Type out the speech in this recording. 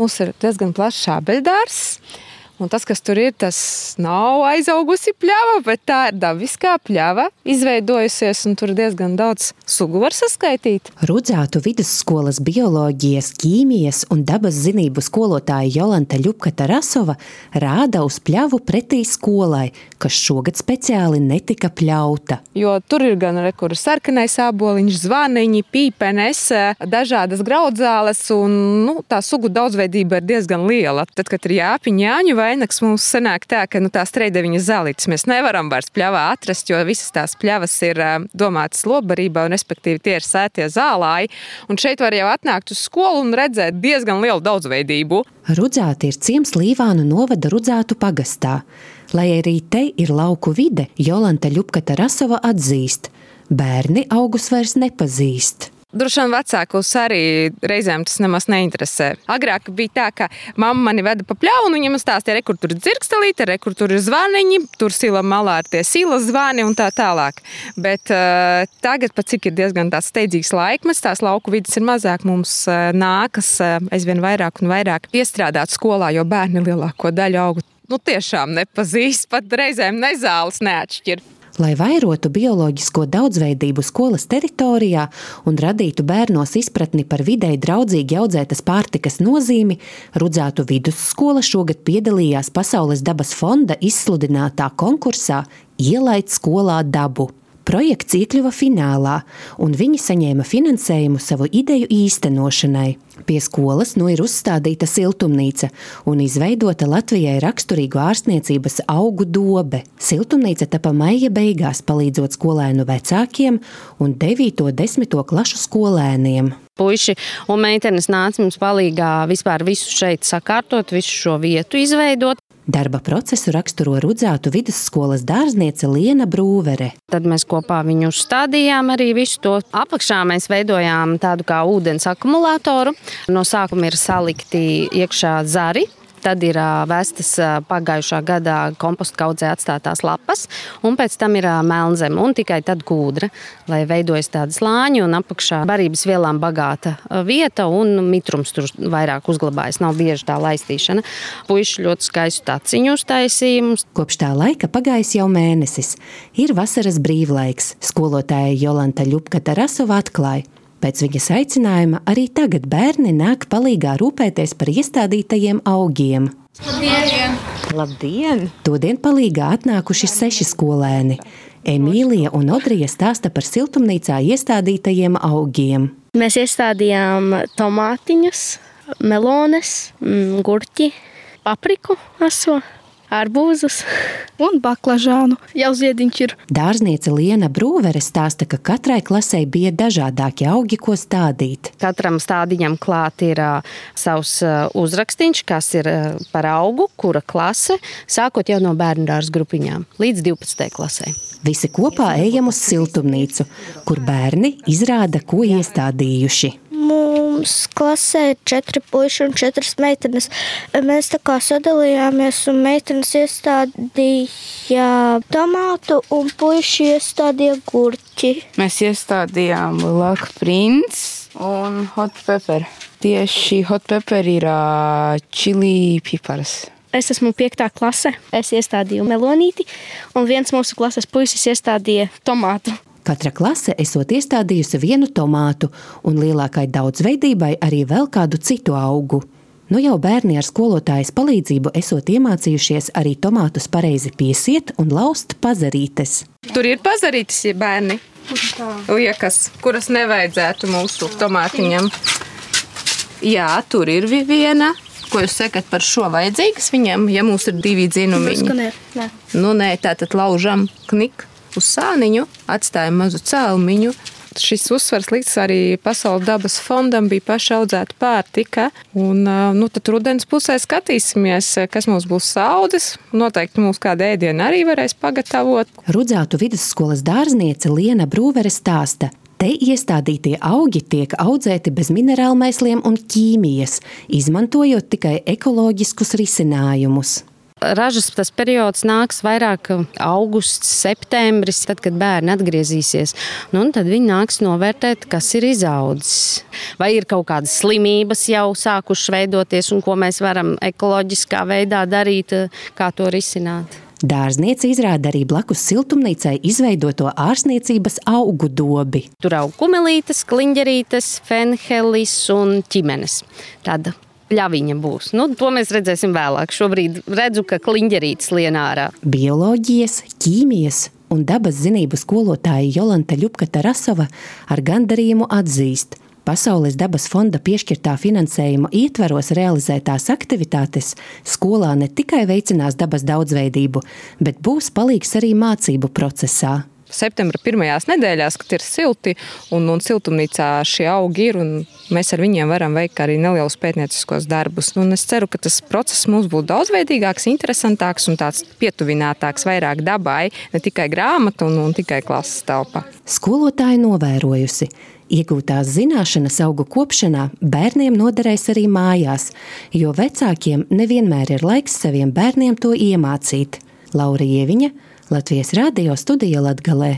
mums ir diezgan plašs šābeļdārs. Un tas, kas tur ir, tas nav aizaugusi pļava, bet tā ir dabiskā pļava izveidojusies, un tur diezgan daudz sugu var saskaitīt. Rudzātu vidusskolas bioloģijas, ķīmijas un dabas zinību skolotāja Jolanta Ļupka-Tarasova rāda uz pļavu pretī skolai, kas šogad speciāli netika pļauta. Jo tur ir gan kur sarkanais āboliņš, zvaniņi, pīpenes, dažādas graudzāles, un tā sugu daudzveidība ir diezgan liela. Tad, kad ir jāpiņ jāņu vainags, mums sanāk tā, ka tās treideviņas zālītes mēs nevaram vairs pļavā atrast, jo visas tās pļavas ir domātas lopbarībā, un respektīvi tie ir sētie zālāji. Un šeit var jau atnākt uz skolu un redzēt diezgan lielu daudzveidību. Rudzāti ir ciems Līvānu novada Rudzātu pagastā. Lai arī te ir lauku vide, Jolanta Ļupka-Tarasova atzīst, bērni augus vairs nepazīst. Droši vien vecākus arī reizēm tas nemaz neinteresē. Agrāk bija tā, ka mamma mani veda pa pļavu, un viņa man stāstīja, kur tur ir dzirkstelīte, kur tur ir zvaniņi, tur sila malā ir tie silas zvani un tā tālāk. Bet tagad, pat cik ir diezgan tāds steidzīgs laikmets, tās lauku vidas ir mazāk, mums nākas aizvien vairāk un vairāk iestrādāt skolā, jo bērni lielāko daļu augu tiešām nepazīst, pat reizēm nezāles neatšķir. Lai vairotu bioloģisko daudzveidību skolas teritorijā un radītu bērnos izpratni par videi draudzīgi audzētas pārtikas nozīmi, Rudzātu vidusskola šogad piedalījās Pasaules dabas fonda izsludinātā konkursā Ielaid skolā dabu. Projekts iekļuva finālā, un viņi saņēma finansējumu savu ideju īstenošanai. Pie skolas ir uzstādīta siltumnīca un izveidota Latvijai raksturīgu ārstniecības augu dobe. Siltumnīca tapa maija beigās, palīdzot skolēnu vecākiem un 9. un 10. klašu skolēniem. Puiši un meitenes nāca mums palīgā vispār visu šeit sakārtot, visu šo vietu izveidot. Darba procesu raksturo Rudzātu vidusskolas dārzniece Liena Brūvere. Tad mēs kopā viņu uzstādījām arī visu to. Apakšā mēs veidojām tādu kā ūdens akumulātoru. No sākuma ir salikti iekšā zari. Tad ir vestas pagājušā gadā kompostkaudzē atstātās lapas, un pēc tam ir melnzeme un tikai tad kūdra, lai veidojas tādi slāņi un apakšā barības vielām bagāta vieta un mitrums tur vairāk uzglabājas, nav bieži tā laistīšana. Puiši ļoti skaistu taciņu uztaisīja mums. Kopš tā laika pagājis jau mēnesis. Ir vasaras brīvlaiks. Skolotāja Jolanta Ļupka-Tarasova atklāja. Pēc viņas aicinājuma arī tagad bērni nāk palīgā rūpēties par iestādītajiem augiem. Labdien! Labdien! Todien palīgā atnākuši 6 skolēni. Emīlija un Odrija stāsta par siltumnīcā iestādītajiem augiem. Mēs iestādījām tomātiņus, melones, gurķi, papriku aso, arbūzus un baklažānu. Jau ziediņš ir. Dārzniece Liena Brūvere stāsta, ka katrai klasei bija dažādāki augi, ko stādīt. Katram stādiņam klāt ir savs uzrakstīns, kas ir par augu, kura klase, sākot jau no bērndārs grupiņām līdz 12. klasē. Visi kopā ejam uz siltumnīcu, kur bērni izrāda, ko iestādījuši. Mums klasē ir 4 puiši un 4 meitenes. Mēs tā kā sadalījāmies un meitenes iestādīja tomātu un puiši iestādīja gurķi. Mēs iestādījām Black Prince un Hot Pepper. Tieši Hot Pepper ir čili pipars. Es esmu 5. klase. Es iestādīju melonīti un viens mūsu klases puisis iestādīja tomātu. Katra klase esot iestādījusi vienu tomātu un lielākai daudzveidībai arī vēl kādu citu augu. Nu jau bērni ar skolotājas palīdzību esot iemācījušies arī tomātus pareizi piesiet un laust pazarītes. Tur ir pazarītes, ja bērni liekas, kuras nevajadzētu mūsu tomātiņam. Jā, tur ir viena. Ko jūs sakat par šo vajadzīgas viņam, ja mums ir 2 dzinumiņi? Nē, tātad laužam knik uz sāniņu, atstājam mazu cēlumiņu. Šis uzsvars likts arī Pasaules dabas fondam, bija paša audzēta pārtika. Un tad rudens pusē skatīsimies, kas mums būs audzes. Noteikti mums kādu ēdienu arī varēs pagatavot. Rudzātu vidusskolas dārzniece Liena Brūvere stāsta. Te iestādītie augi tiek audzēti bez minerālmēsliem un ķīmijas, izmantojot tikai ekoloģiskus risinājumus. Ražas tas periods nāks vairāk augusts, septembris, tad, kad bērni atgriezīsies. Un tad viņi nāks novērtēt, kas ir izaudzis. Vai ir kaut kādas slimības jau sākušas veidoties un ko mēs varam ekoloģiskā veidā darīt, kā to risināt. Dārzniece izrāda arī blakus siltumnīcai izveidoto ārsniecības augu dobi. Tur aug kumelītes, kliņģerītes, fenhelis un ķimenes. Tāda pļaviņa būs. To mēs redzēsim vēlāk. Šobrīd redzu, ka kliņģerītes lien ārā. Bioloģijas, ķīmijas un dabas zinību skolotāja Jolanta Ļupka-Tarasova ar gandarījumu atzīst. Pasaules dabas fonda piešķirtā finansējuma ietvaros realizētās aktivitātes skolā ne tikai veicinās dabas daudzveidību, bet būs palīgs arī mācību procesā. Septembra pirmajās nedēļās, kad ir silti un siltumnīcā šie augi ir, un mēs ar viņiem varam veikt arī nelielus pētnieciskos darbus. Un es ceru, ka tas process mums būs daudzveidīgāks, interesantāks un tāds pietuvinātāks vairāk dabai, ne tikai grāmata un tikai klases telpa. Skolotāja novērojusi. Iegūtās zināšanas augu kopšanā bērniem noderēs arī mājās, jo vecākiem nevienmēr ir laiks saviem bērniem to iemācīt. Laura Ieviņa, Latvijas Radio studija Latgalē.